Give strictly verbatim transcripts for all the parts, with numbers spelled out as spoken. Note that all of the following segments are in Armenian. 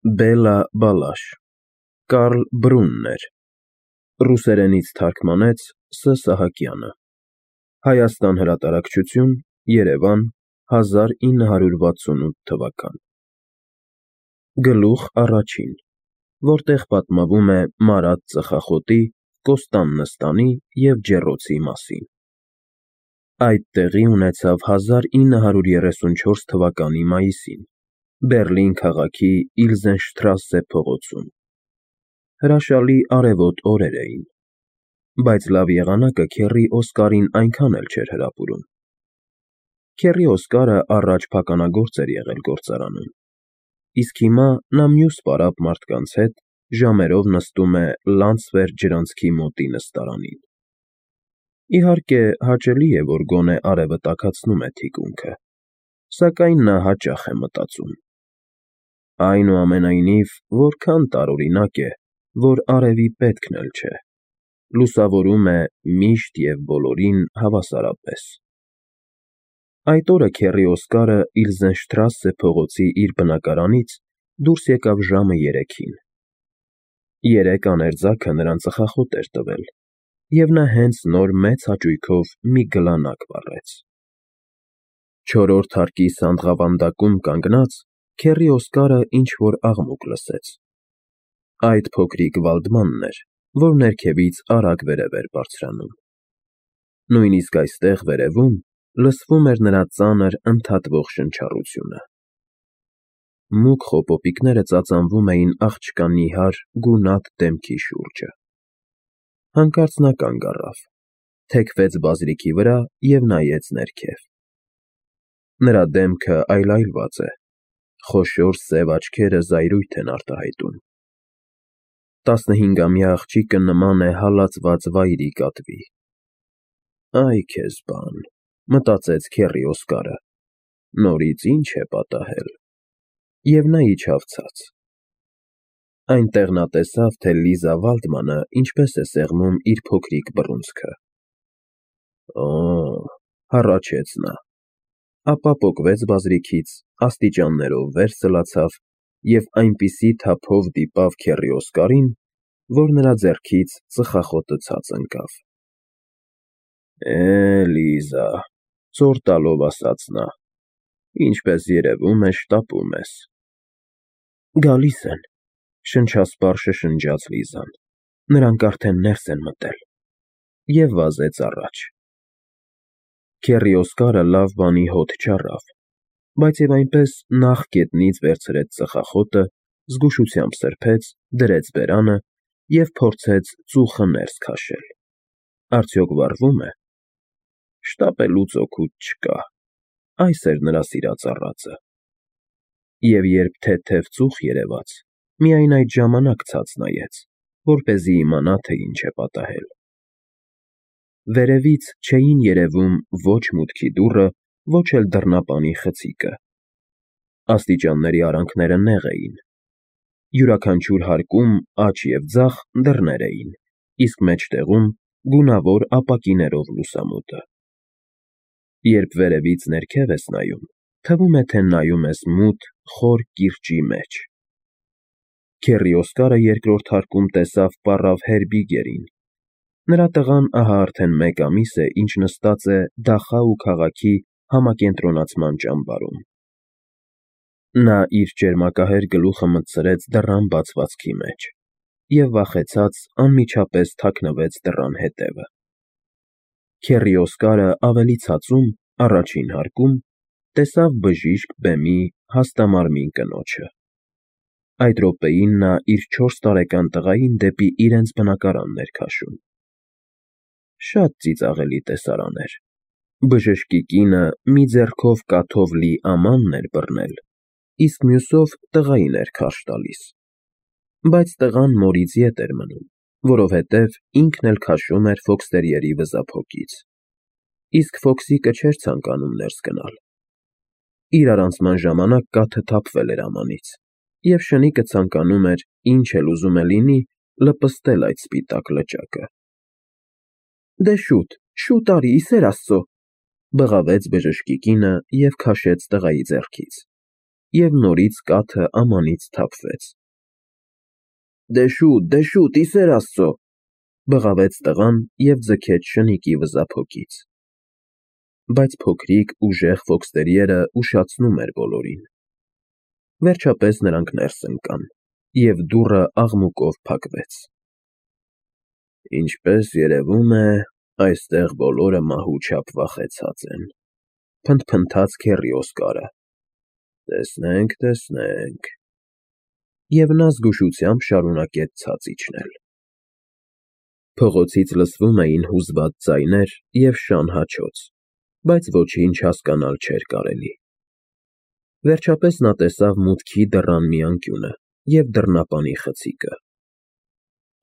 Բելա Բալաշ, Կարլ Բրուններ, ռուսերենից թարգմանեց Ս. Սահակյանը, Հայաստան հրատարակչություն, Երևան, հազար ինը հարյուր վաթսունութ թվական։ Գլուխ առաջին, որտեղ պատմվում է մարած ծխախոտի, Կոստան նստանի և ջեռոցի մասին։ Այդ տեղի ունեցավ հազար ինը հարյուր երեսունչորս թվականի մայիսին, Բեռլին քաղաքի Իլզենշտրասե փողոցում։ Հրաշալի արևոտ օրեր էին, բայց լավ եղանակը քեռի Օսկարին այնքան էլ չէր հրապուրում։ Քեռի Օսկարը առաջ փականագործ էր եղել գործարանում, իսկ հիմա նա մյուս պարապ մարդկանց հետ ժամերով նստում է Լանցվեր ջրանցքի մոտի նստարանին։ Իհարկե, հաճելի է, որ գոնե արևը տաքացնում է թիկունքը, սակայն նա հաճախ է մտածում. այնուամենայնիվ, որքան տարօրինակ է, որ արևի պետքն էլ չէ, լուսավորում է միշտ և բոլորին հավասարապես։ Այդ օրը քեռի Օսկարը Իլզենշտրասե փողոցի իր բնակարանից դուրս եկավ ժամը երեքին։ Երեկ աներձակը նրան ծխախոտ էր տվել, և նա հենց նոր մեծ հաճույքով մի գլանակ վառեց։ Չորրորդ հարկի սանդղավանդակում կանգնած, քեռի Օսկարը ինչ֊որ աղմուկ լսեց։ Այդ փոքրիկ Վալդմանն էր, որ ներքևից արագ վերև էր բարձրանում։ Նույնիսկ այստեղ, վերևում, լսվում էր նրա ծանր ընդհատվող շնչառությունը։ Մուգ խոպոպիկները ծածանվում էին աղջկա նիհար, գունատ դեմքի շուրջը։ Հանկարծ նա կանգ առավ, թեքվեց բազրիքի վրա և նայեց ներքև։ Նրա դեմքը այլայլված է, խոշոր սև աչքերը զայրույթ են արտահայտում։ Տասնհինգամյա աղջիկը նման է հալածված վայրի կատվի։ Այ քեզ բան, մտածեց քեռի Օսկարը, նորից ինչ է պատահել, և նա իջավ ցած։ Այնտեղ նա տեսավ, թե Լիզա Վալդմանը ինչպես է սեղմում իր փոքրիկ բռունցքը։ Օ՜, հառաչեց նա, ապա պոկվեց բազրիքից, աստիճաններով վեր սլացավ և այնպիսի թափով դիպավ քեռի Օսկարին, որ նրա ձեռքից ծխախոտը ցած ընկավ։ Է, Լիզա, ծոր տալով ասաց նա, ինչպես երևում է, շտապում ես։ Գալիս են, շնչասպառ շշնջաց Լիզան, նրանք արդեն ներս են մտել, և վազեց առաջ։ Քեռի Օսկարը լավ բանի հոտ չառավ, բայց և այնպես նախ գետնից վերցրեց ծխախոտը, զգուշությամբ սրբեց, դրեց բերանը և փորձեց ծուխը ներս քաշել։ Արդյոք վառվո՞ւմ է։ Շտապելուց օգուտ չկա, այս էր նրա սիրած առածը։ Եվ երբ թեթև ծուխ երևաց, միայն այդ ժամանակ ցած նայեց, որպեսզի իմանա, թե ինչ է պատահել։ Վերևից չէին երևում ոչ մուտքի դուռը, ոչ էլ դռնապանի խցիկը։ Աստիճանների արանքները նեղ էին։ Յուրաքանչյուր հարկում աջ և ձախ դռներ էին, իսկ մեջտեղում գունավոր ապակիներով լուսամուտը։ Երբ վերևից ներքև ես նայում, թվում է, թե նայում ես մութ, խոր կիրճի մեջ։ Քեռի Օսկարը երկրորդ հարկում տեսավ պառավ Հերբիգերին։ Նրա տղան ահա արդեն մեկ ամիս է, ինչ նստած է Դախաու քաղաքի համակենտրոնացման ճամբարում։ Նա իր ճերմակահեր գլուխը մտցրեց դռան բացվածքի մեջ և վախեցած անմիջապես թաքնվեց դռան հետևը։ Քեռի Օսկարը ավելի ցածում, առաջին հարկում, տեսավ բժիշկ բեմի հաստամարմին կնոջը։ Այդ րոպեին նա իր չորս տարեկան տղային դեպի իրենց բնակարանն էր քաշում։ Շատ ծիծաղելի տեսարան էր։ Բժշկի կինը մի ձեռքով կաթով լի ամանն էր բռնել, իսկ մյուսով տղային էր քարշ տալիս։ Բայց տղան մորից ետ էր մնում, որովհետև ինքն էլ քաշում էր ֆոքստերիերի վզափոկից, իսկ Ֆոքսիկը չէր ցանկանում ներս գնալ։ Իր առանցման ժամանակ կաթը թափվել էր ամանից, և շնիկը ցանկանում էր, ինչ էլ ուզում է լինի, լպստել այդ սպիտակ լճակը։ Դե շուտ, շուտ արի, ի սեր Աստծո, բղավեց բժշկի կինը և քաշեց տղայի ձեռքից։ և նորից կաթը ամանից թափվեց։ Դե շուտ, դե շուտ, ի սեր Աստծո, բղավեց տղան և ձգեց շնիկի վզափոկից։ Բայց փոքրիկ ուժեղ ֆոքստերիերը ուշացնում էր բոլորին։ Վերջապես նրանք ներս ընկան, և դուռը աղմուկով փակվեց։ Ինչպես երևում է, այստեղ բոլորը մահու չափ վախեցած են, փնթփնթաց քեռի Օսկարը։ Տեսնենք, տեսնենք… Եվ նա զգուշությամբ շարունակեց ցած իջնել։ Փողոցից լսվում էին հուզված ձայներ և շան հաչոց, բայց ոչինչ հասկանալ չէր կարելի։ Վերջապես նա տեսավ մուտքի դռան մի անկյունը և դռնապանի խցիկը։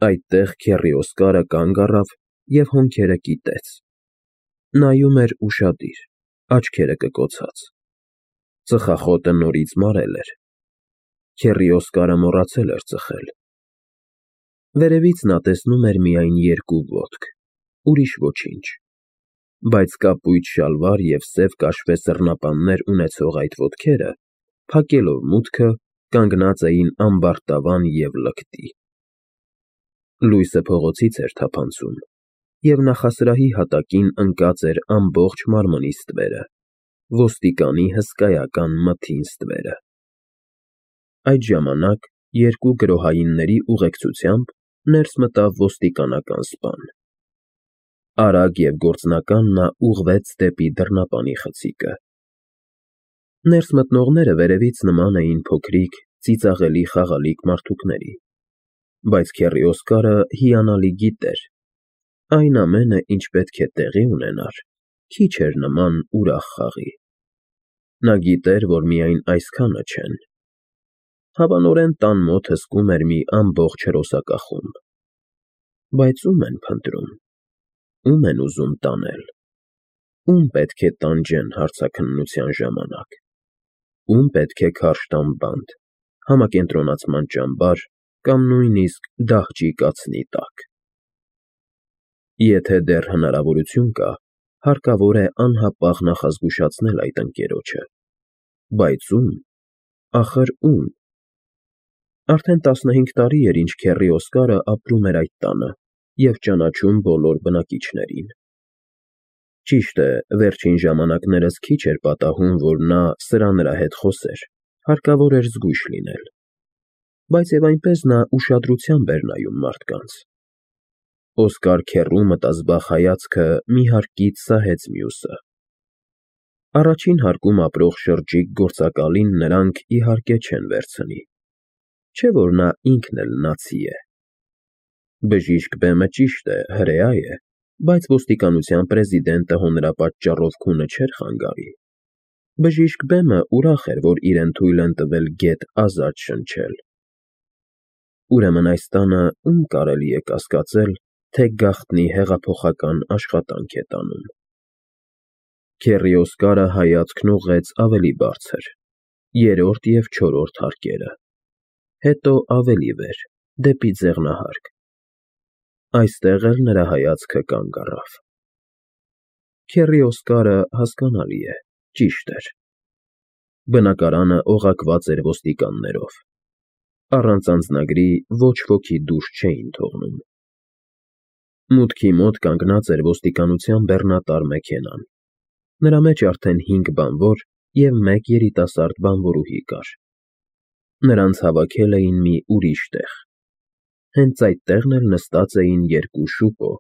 Այդտեղ քեռի Օսկարը կանգ առավ և հոնքերը կիտեց։ Նայում էր ուշադիր, աչքերը կկոցած։ Ծխախոտը նորից մարել էր։ Քեռի Օսկարը մոռացել էր ծխել։ Վերևից նա տեսնում էր միայն երկու ոտք, ուրիշ ոչինչ։ Բայց կապույտ շալվար և սև կաշվե սռնապաններ ունեցող այդ ոտքերը, փակելով մուտքը, կանգնած էին ամբարտավան և լկտի։ Լույսը փողոցից էր թափանցում, և նախասրահի հատակին ընկած էր ամբողջ մարմնի ստվերը, ոստիկանի հսկայական մթին ստվերը։ Այդ ժամանակ երկու գրոհայինների ուղեկցությամբ ներս մտավ ոստիկանական սպան։ Արագ և գործնական նա ուղղվեց դեպի դռնապանի խցիկը։ Ներս մտնողները վերևից նման էին փոքրիկ, ծիծաղելի խաղալիք մարդուկների, բայց քեռի Օսկարը հիանալի գիտեր. այն ամենը, ինչ պետք է տեղի ունենար, քիչ էր նման ուրախ խաղի։ Նա գիտեր, որ միայն այսքանը չեն։ Հավանորեն տան մոտ հսկում էր մի ամբողջ հրոսակախումբ։ Բայց ո՞ւմ են փնտրում, ո՞ւմ են ուզում տանել, ո՞ւմ պետք է տանջեն հարցաքննության ժամանակ, ո՞ւմ պետք է քարշ տան բանտ, համակենտրոնացման ճամբար կամ նույնիսկ դահճի կացնի տակ։ Եթե դեռ հնարավորություն կա, հարկավոր է անհապաղ նախազգուշացնել այդ ընկերոջը։ Բայց ո՞ւմ, ախր ո՞ւմ։ Արդեն տասնհինգ տարի էր, ինչ քեռի Օսկարը ապրում էր այդ տանը և ճանաչում բոլոր բնակիչներին։ Ճիշտ է, վերջին ժամանակներս քիչ էր պատահում, որ նա սրա֊նրա հետ խոսեր, հարկավոր էր զգույշ լինել։ Բայց և այնպես նա ուշադրությամբ էր նայում մարդկանց։ Օսկար քեռու մտազբաղ հայացքը մի հարկից սահեց մյուսը։ Առաջին հարկում ապրող շրջիկ գործակալին նրանք, իհարկե, չեն վերցնի, չէ՞ որ նա ինքն էլ նացի է։ Բժիշկ բեմը, ճիշտ է, հրեա է, բայց ոստիկանության պրեզիդենտը հո նրա պատճառով քունը չէր խանգարի։ Բժիշկ բեմը ուրախ էր, որ իրեն թույլ են տվել գեթ ազատ շնչել։ Ուրեմն այս տանը ո՞ւմ կարելի է կասկածել, թե գաղտնի հեղափոխական աշխատանք է տանում։ Քեռի Օսկարը հայացքն ուղղեց ավելի բարձր, երրորդ և չորրորդ հարկերը, հետո ավելի վեր, դեպի ձեղնահարկ։ Այստեղ էլ նրա հայացքը կանգ առավ։ Քեռի Օսկարը, հասկանալի է, ճիշտ էր։ Բնակարանը օղակված էր ոստիկաններով։ Առանց անձնագրի ոչ ոքի դուրս չէին թողնում։ Մուտքի մոտ կանգնած էր ոստիկանության բեռնատար մեքենան։ Նրա մեջ արդեն հինգ բանվոր և մեկ երիտասարդ բանվորուհի կար։ Նրանց հավաքել էին մի ուրիշ տեղ։ Հենց այդ տեղն էլ նստած էին երկու շուկո,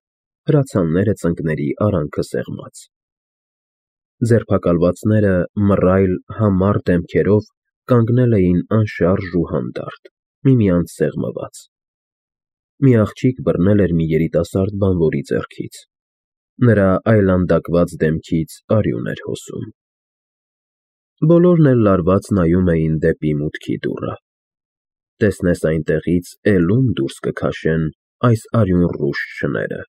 հրացանները ծնկների արանքը սեղմած։ Ձերբակալվածները մռայլ, համառ դեմքերով կանգնել էին անշարժ ու հանդարտ, միմյանց սեղմված։ Մի աղջիկ բռնել էր մի երիտասարդ բանվորի ձեռքից։ Նրա այլանդակված դեմքից արյուն էր հոսում։ Բոլորն էլ լարված նայում էին դեպի մուտքի դուռը։ Տեսնես այնտեղից էլ ո՞ւմ դուրս կքաշեն այս արյունռուշ շները։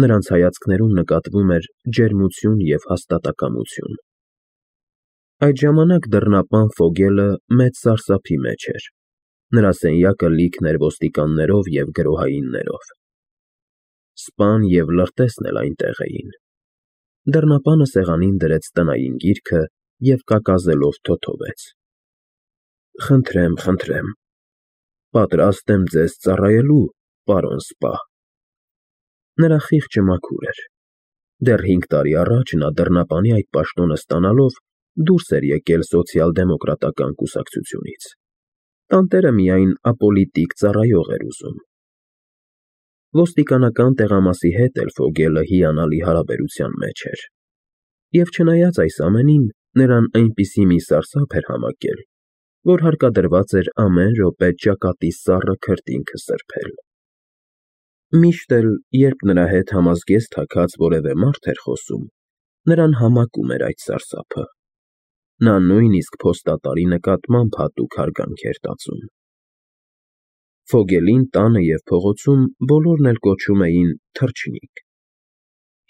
Նրանց հայացքներում նկատվում էր ջերմություն և հաստատակամություն։ Այդ ժամանակ դռնապան Ֆոգելը մեծ սարսափի մեջ էր։ Նրա սենյակը լիքն էր ոստիկաններով և գրոհայիններով։ Սպան և լրտեսն էլ այնտեղ էին։ Դռնապանը սեղանին դրեց տնային գիրքը և կակազելով թոթովեց. Խնդրեմ, խնդրեմ, պատրաստ եմ ձեզ ծառայելու, պարոն սպա։ Նրա խիղճը մաքուր էր։ Դեռ հինգ տարի առաջ նա դռնապանի այդ պաշտոնը ստանալով դուրս էր եկել սոցիալ֊դեմոկրատական կուսակցությունից։ Տանտերը միայն ապոլիտիկ ծառայող էր ուզում։ Ոստիկանական տեղամասի հետ էլ Ֆոգելը հիանալի հարաբերության մեջ էր։ Եվ չնայած այս ամենին, նրան այնպիսի մի սարսափ էր համակել, որ հարկադրված էր ամեն րոպե ճակատի սառը քրտինքը սրբել։ Միշտ էլ, երբ նրա հետ համազգեստ թաքած որևէ մարդ էր խոսում, նրան համակում էր այդ սարսափը։ Նա նույնիսկ փոստատարի նկատմամբ հատուկ հարգանք էր տածում։ Ֆոգելին տանը և փողոցում բոլորն էլ կոչում էին թռչնիկ։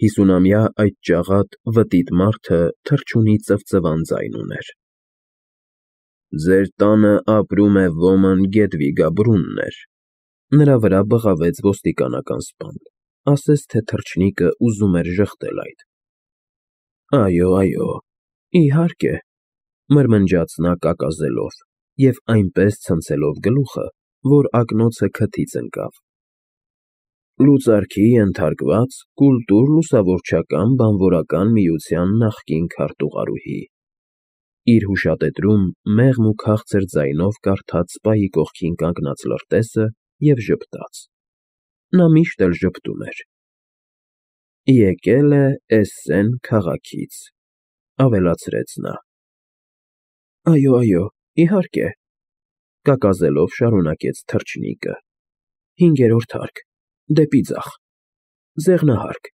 Հիսունամյա այդ ճաղատ վտիտ մարդը թռչունի ծվծվան ձայն ուներ։ Ձեր տանը ապրում է ոմն Գետվիգա Բրուններ, նրա վրա բղավեց ոստիկանական սպան, ասես թե թռչնիկը ուզում էր ժխտել այդ։ Այո, այո, իհարկե, մրմնջաց նա կակազելով և այնպես ցնցելով գլուխը, որ ակնոցը քթից ընկավ։ Լուծարքի ենթարկված կուլտուր-լուսավորչական բանվորական միության նախկին քարտուղարուհի, իր հուշատետրում մեղմ ու քաղցր ձայնով կարդաց սպայի կողքին կանգնած լրտեսը և ժպտաց։ Նա միշտ էլ ժպտում էր։ Եկել է Էսսեն քաղաքից, ավելացրեց նա։ Այո, այո, իհարկե, կակազելով շարունակեց թռչնիկը։ Հինգերորդ հարկ, դեպի ձախ, ձեղնահարկ,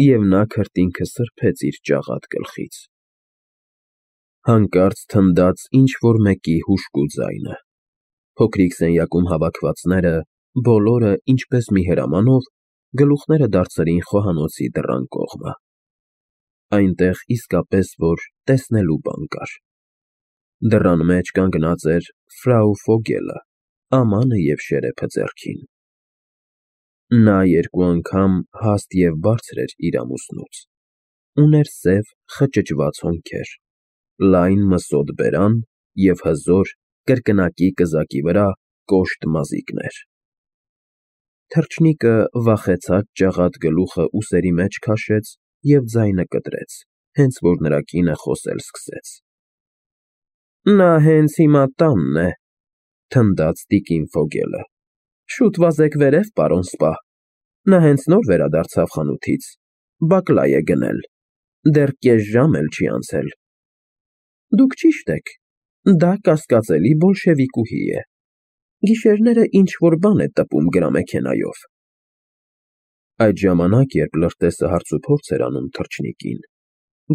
և նա քրտինքը սրբեց իր ճաղատ գլխից։ Հանկարծ թնդաց ինչ-որ մեկի հուժկու ձայնը։ Փոքրիկ սենյակում հավաքվածները, բոլորը, ինչպես մի հրամանով, գլուխները դարձրին խոհանոցի դռան կողմը։ Այնտեղ իսկապես որ տեսնելու բան կար։ Դռան մեջ կանգնած էր ֆրау Ֆոգելը, ամանը և շերեփը ձեռքին։ Նա երկու անգամ հաստ և բարձր էր իր ամուսնուց։ Ուներ սև խճճված հոնքեր, լայն մսոտ բերան և հզոր, կրկնակի կզակի վրա կոշտ մազիկներ։ Թռչնիկը վախեցած ճաղատ գլուխը ուսերի մեջ քաշեց և ձայնը կտրեց, հենց որ նրա կինը խոսել սկսեց։ Նա հենց հիմա տանն է, թնդաց տիկին Ֆոգելը։ Շուտ վազեք վերև, պարոն սպա, նա հենց նոր վերադարձավ խանութից, բակլայ է գնել, դեռ կես ժամ էլ չի անցել։ Դուք ճիշտ եք, դա կասկածելի բոլշևիկուհի է, գիշերները ինչ-որ բան է տպում գրամեքենայով։ Այդ ժամանակ, երբ լրտեսը հարցուփորձ էր անում թռչնիկին,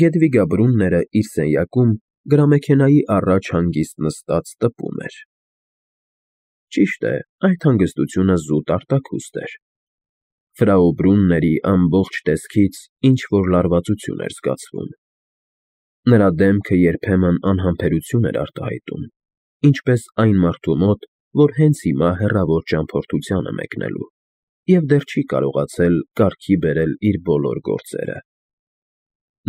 Գետվիգա Բրունները իր սենյակում գրամեքենայի առաջ հանգիստ նստած տպում էր։ Ճիշտ է, այդ հանգստությունը զուտ արտաքուստ էր։ Ֆրау Բրունների ամբողջ տեսքից ինչ-որ լարվածություն էր զգացվում։ Նրա դեմքը երբեմն անհամբերություն էր արտահայտում, ինչպես այն մարդու մոտ, որ հենց հիմա հեռավոր ճամփորդության է մեկնելու և դեռ չի կարողացել կարգի բերել իր բոլոր գործերը։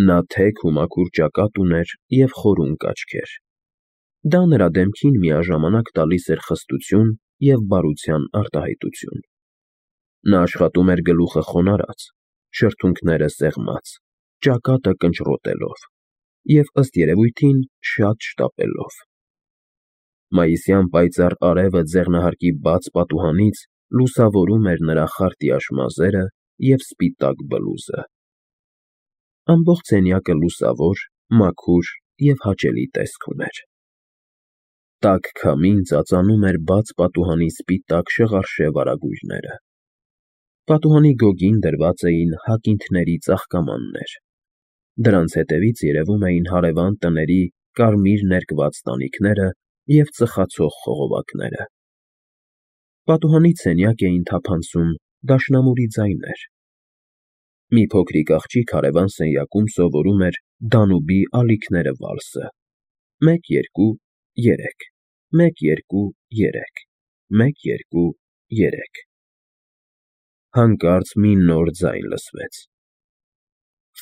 Նա թեք ու մաքուր ճակատ ուներ և խորունկ աչքեր։ Դա նրա դեմքին միաժամանակ տալիս էր խստություն և բարության արտահայտություն։ Նա աշխատում էր գլուխը խոնարհած, շրթունքները սեղմած, ճակատը կնճռոտելով և, ըստ երևույթին, շատ շտապելով։ Մայիսյան պայծառ արևը ձեղնահարկի բաց պատուհանից լուսավորում էր նրա խարտյաշ մազերը և սպիտակ բլուզը։ Ամբողջ սենյակը լուսավոր, մաքուր և հաճելի տեսք ուներ։ Տաք քամին ծածանում էր բաց պատուհանի սպիտակ շղարշե վարագույրները։ Պատուհանի գոգին դրված էին հակինթների ծաղկամաններ։ Դրանց հետևից երևում էին հարևան տների կարմիր ներկված տանիքները և ծխացող խողովակները։ Պատուհանից սենյակ էին թափանցում դաշնամուրի ձայներ։ Մի փոքրիկ աղջիկ հարևան սենյակում սովորում էր Դանուբի ալիքները վալսը. մեկ, երկու, երեք, մեկ, երկու, երեք, մեկ, երկու, երեք։ Հանկարծ մի նոր ձայն լսվեց։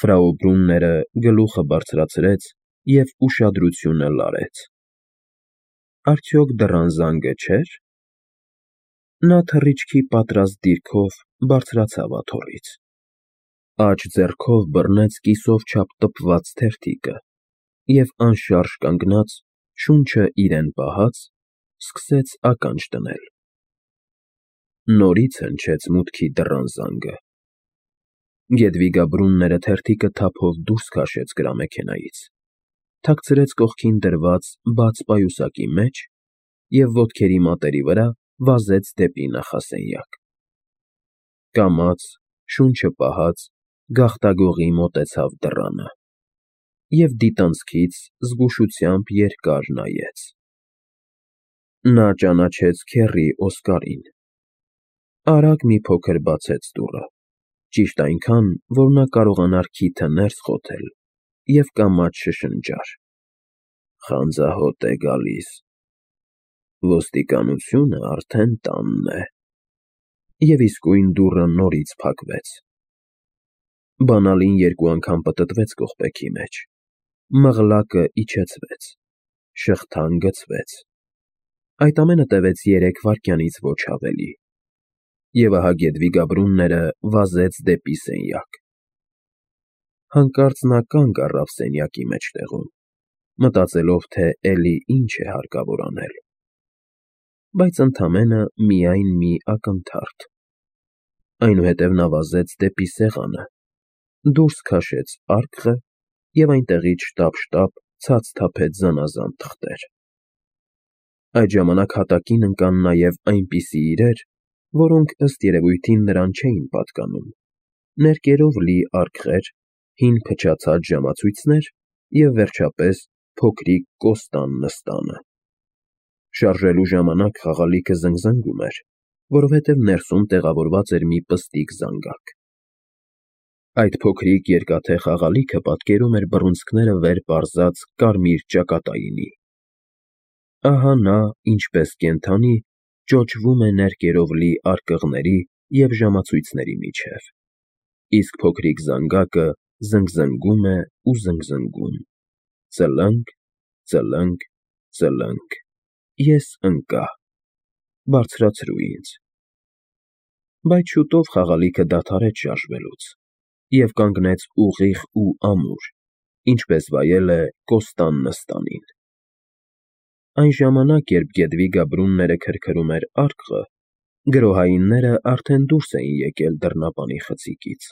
Ֆրау Բրունները գլուխը բարձրացրեց և ուշադրությունը լարեց։ Արդյոք դռան զանգը չէր։ Նա թռիչքի պատրաստ դիրքով բարձրացավ աթոռից, աջ ձեռքով բռնեց կիսով չափ տպված թերթիկը և անշարժ կանգնած, շունչը իրեն պահած, սկսեց ականջ դնել։ Նորից հնչեց մուտքի դռան զանգը։ Գետվիգա թերթիկը թափով դուրս քաշեց գրամեքենայից, թաքցրեց կողքին դրված բաց պայուսակի մեջ և ոտքերի մատերի վրա վազեց դեպի նախասենյակ։ Կամաց, շունչը պահած, գաղտագողի մոտեցավ դռանը և դիտանցքից զգուշությամբ երկար նայեց։ Նա ճանաչեց քեռի Օսկարին։ Արագ մի փոքր բացեց դուռը, ճիշտ այնքան, որ նա կարողանար քիթը ներս խոթել և կամաց շշնջար. «Խանձահոտ է գալիս։ Ոստիկանությունը արդեն տանն է»։ Եվ իսկույն դուռը նորից փակվեց։ Բանալին երկու անգամ պտտվեց կողպեքի մեջ, մղլակը իջեցվեց, շղթան գցվեց։ Այդ ամենը տևեց երեք վայրկյանից ոչ ավելի, և ահա Գետվիգա վազեց դեպի սենյակ։ Հանկարծ նա կանգ առավ սենյակի մեջտեղում, մտածելով, թե էլի ինչ է հարկավոր անել։ Բայց ընդամենը միայն մի ակնթարթ։ Այնուհետև նա վազեց դեպի սեղանը, դուրս քաշեց արկղը և այնտեղից շտապ-շտապ ցած թափեց զանազան թղթեր։ Այդ ժամանակ հատակին ընկան նաև այնպիսի իրեր, որոնք, ըստ երևույթին, նրան չէին պատկանում, ներկերով լի արկղեր, հին փչացած ժամացույցներ և, վերջապես, փոքրիկ Կոստան նստանը։ Շարժելու ժամանակ խաղալիքը զնգզնգում էր, որովհետև ներսում տեղավորված էր մի պստիկ զանգակ։ Այդ փոքրիկ երկաթե խաղալիքը պատկերում էր բռունցքները վեր պարզած կարմիր ճակատայինի։ Ահա նա, ինչպես կենդանի, ճոճվում է ներկերով լի արկղների և ժամացույցների միջև, իսկ փոքրիկ զանգակը զնգզնգում է ու զնգզնգում. «Ծլնգ, ծլնգ, ծլնգ, ես ընկա, բարձրացրու ինձ»։ Բայց շուտով խաղալիքը դադարեց շարժվելուց և կանգնեց ուղիղ ու ամուր, ինչպես վայել է Կոստան նստանին։ Այն ժամանակ, երբ Գետվիգա քրքրում էր արկղը, գրոհայինները արդեն դուրս էին եկել դռնապանի խցիկից։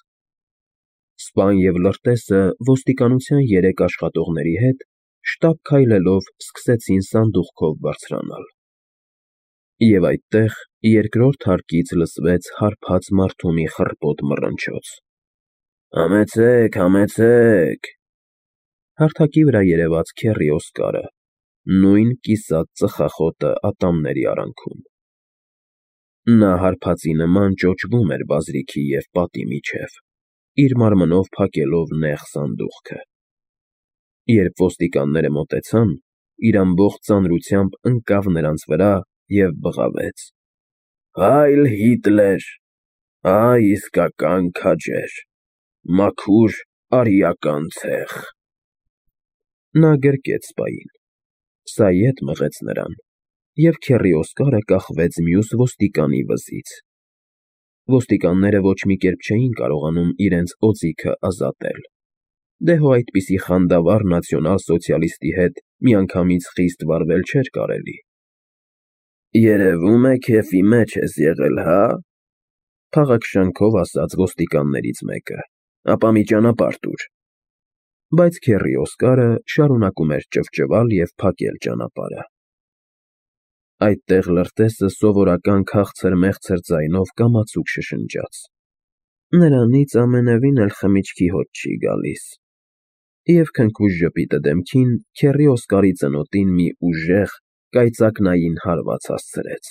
Սպան և լրտեսը ոստիկանության երեք աշխատողների հետ շտապ քայլելով սկսեցին սանդուղքով բարձրանալ։ Եվ այդտեղ երկրորդ հարկից լսվեց հարբած մարդու մի խռպոտ մռնչոց. «Համեցեք, համեցեք»։ Հարթակի վրա երևաց քեռի Օսկարը, նույն կիսատ ծխախոտը ատամների արանքում։ Նա հարբածի նման ճոճվում էր բազրիքի և պատի միջև, իր մարմնով փակելով նեղ սանդուղքը։ Երբ ոստիկանները մոտեցան, իր ամբողջ ծանրությամբ ընկավ նրանց վրա և բղավեց. «Հայլ Հիտլեր, այ իսկական քաջեր, մաքուր արիական ցեխ»։ Նա գրկեց սպային, սա ետ մղեց նրան, և քեռի Օսկարը կախվեց մյուս ոստիկանի վզից։ Ոստիկանները ոչ մի կերպ չէին կարողանում իրենց օձիքը ազատել, դե հո այդպիսի խանդավառ նացիոնալ֊սոցիալիստի հետ միանգամից խիստ վարվել չէր կարելի։ «Երևում է քեֆի մեջ ես եղել, հա՞, փաղաքշանքով ասաց ոստիկաններից մեկը, ապա մի ճանապարհ տուր»։ Բայց քեռի Օսկարը շարունակում էր ճվճվալ և փակել ճանապարհը։ Այդտեղ լրտեսը սովորական քաղցր֊մեղցր ձայնով կամացուկ շշնջաց. «Նրանից ամենևին էլ խմիչքի հոտ չի գալիս»։ Եվ քնքուշ ժպիտը դեմքին քեռի Օսկարի ծնոտին մի ուժեղ, կայծակնային հարված հասցրեց։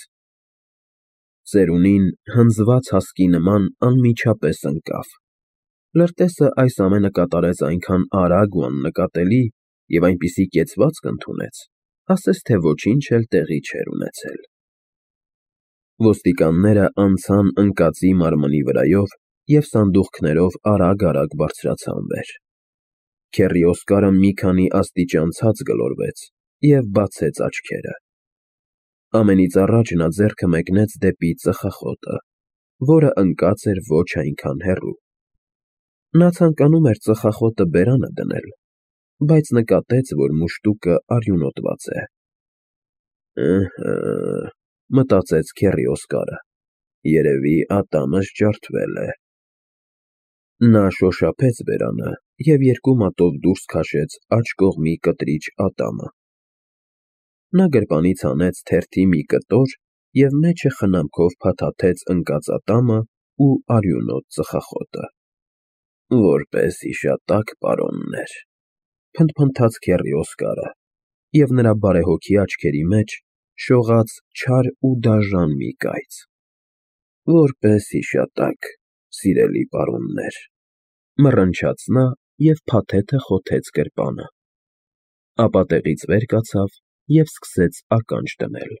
Ծերունին հնձված հասկի նման անմիջապես ընկավ։ Լրտեսը այս ամենը կատարեց այնքան արագ ու աննկատելի և այնպիսի կեցվածք ընդունեց, ասես թե ոչինչ էլ տեղի չէր ունեցել։ Ոստիկանները անցան ընկածի մարմնի վրայով և սանդուղքներով արագ֊արագ բարձրացան վեր։ Քեռի Օսկարը մի քանի աստիճան ցած գլորվեց և բացեց աչքերը։ Ամենից առաջ նա ձեռքը մեկնեց դեպի ծխախոտը, որը ընկած էր ոչ այնքան հեռու։ Նա ցանկանում էր ծխախոտը բերանը դնել, բայց նկատեց, որ մուշտուկը արյունոտված է։ «Ըհը,֊ մտածեց քեռի Օսկարը,֊ երևի ատամս ջարդվել է»։ Նա շոշափեց բերանը և երկու մատով դուրս քաշեց աջ կողմի կտրիչ ատամը։ Նա գրպանից հանեց թերթի մի կտոր և մեջը խնամքով փաթաթեց ընկած ատամն ու արյունոտ ծխախոտը։ «Որպես հիշատակ, պարոններ», փնթփնթաց քեռի Օսկարը, և նրա բարեհոգի աչքերի մեջ շողաց չար ու դաժան մի կայծ։ «Որպես հիշատակ, սիրելի պարոններ», մռնչաց նա և փաթեթը խոթեց գրպանը։ Ապա տեղից վեր կացավ և սկսեց ականջ դնել։